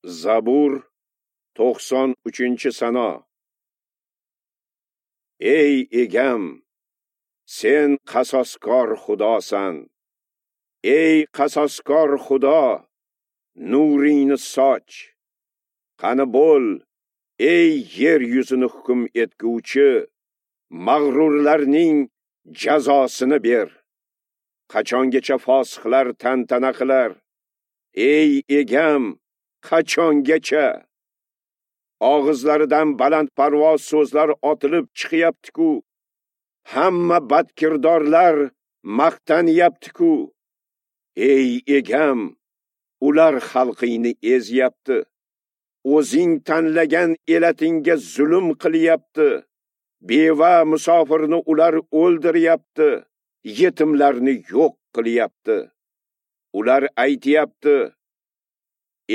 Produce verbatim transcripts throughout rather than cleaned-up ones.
Zabur to'qson uchinchi sano. Ey Egam, sen qasoskor Xudosan. Ey qasoskor Xudo, nuringni soch. Qani bo'l, ey yer yuzini hukm etguvchi, mag'rurlarning jazosini ber. Qachongacha fosiqlar tantana qilar? Ey Egam, qachongacha? Og'izlaridan balandparvoz so'zlar otilib chiqyapti-ku. Hamma badkirdorlar maqtanyapti-ku. Ey Egam, ular xalqingni ezyapti. O'zing tanlagan elatingga zulm qilyapti. Beva musofirni ular o'ldiryapti, yetimlarni yo'q qilyapti. Ular aytyapti: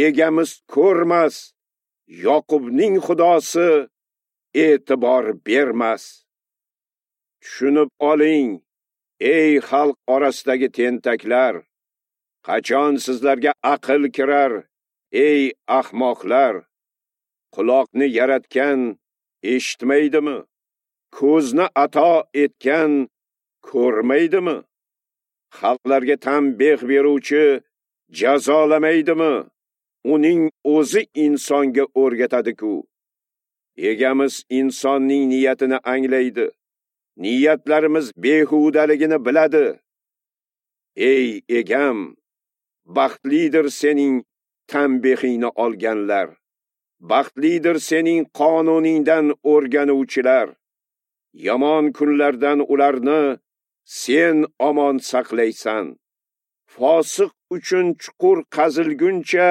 Egamiz ko'rmas, Yoqubning Xudosi e'tibor bermas. Tushunib oling, ey xalq orasidagi tentaklar, qachon sizlarga aql kirar, ey ahmoqlar? Quloqni yaratgan eshitmaydimi? Ko'zni ato etgan ko'rmaydimi? Xalqlarga tanbeh beruvchi jazolamaydimi? Uning o'zi insonga o'rgatadi-ku. Egamiz insonning niyatini anglaydi. Niyatlarimiz behudaligini biladi. Ey Egam, baxtlidir sening tanbehingni olganlar. Baxtlidir sening qonuningdan o'rganuvchilar. Yomon kunlardan ularni sen omon saqlaysan. Fosiq uchun chuqur qazilguncha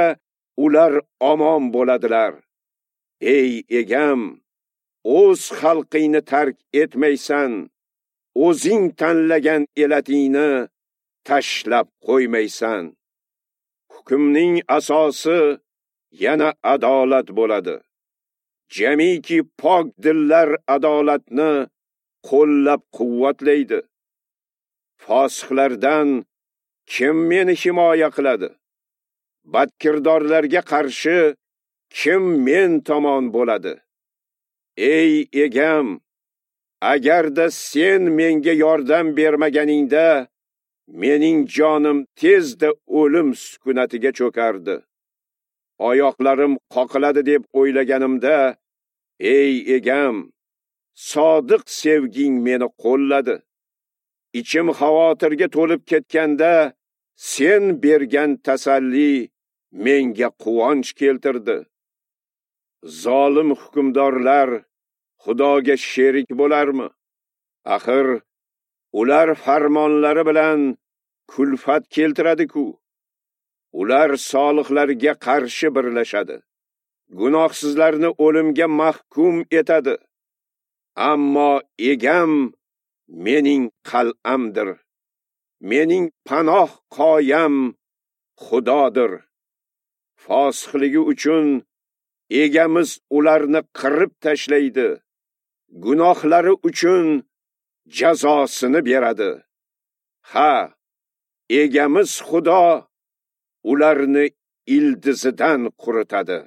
ular omon bo'ladilar. Ey Egam, o'z xalqingni tark etmaysan, o'zing tanlagan elatingni tashlab qo'ymaysan. Hukmning asosi yana adolat bo'ladi. Jamiki pok dillar adolatni qo'llab-quvvatlaydi. Fosiqlardan kim meni himoya qiladi? Badkirdorlarga qarshi kim men tomon bo'ladi? Ey Egam, agarda sen menga yordam bermaganingda, mening jonim tezda o'lim sukunatiga cho'kardi. Oyoqlarim qoqiladi deb o'ylaganimda, ey Egam, sodiq sevging meni qo'lladi. Ichim xavotirga to'lib ketganda, sen bergan tasalli menga quvonch keltirdi. Zolim hukmdorlar Xudoga sherik bo'larmi? Axir ular farmonlari bilan kulfat keltiradi-ku. Ular solihlarga qarshi birlashadi. Gunohsizlarni o'limga mahkum etadi. Ammo Egam mening qal'amdir. Mening panoh qoyam Xudodir. Fosiqligi uchun Egamiz ularni qirib tashlaydi. Gunohlari uchun jazosini beradi. Ha, Egamiz Xudo ularni ildizidan quritadi.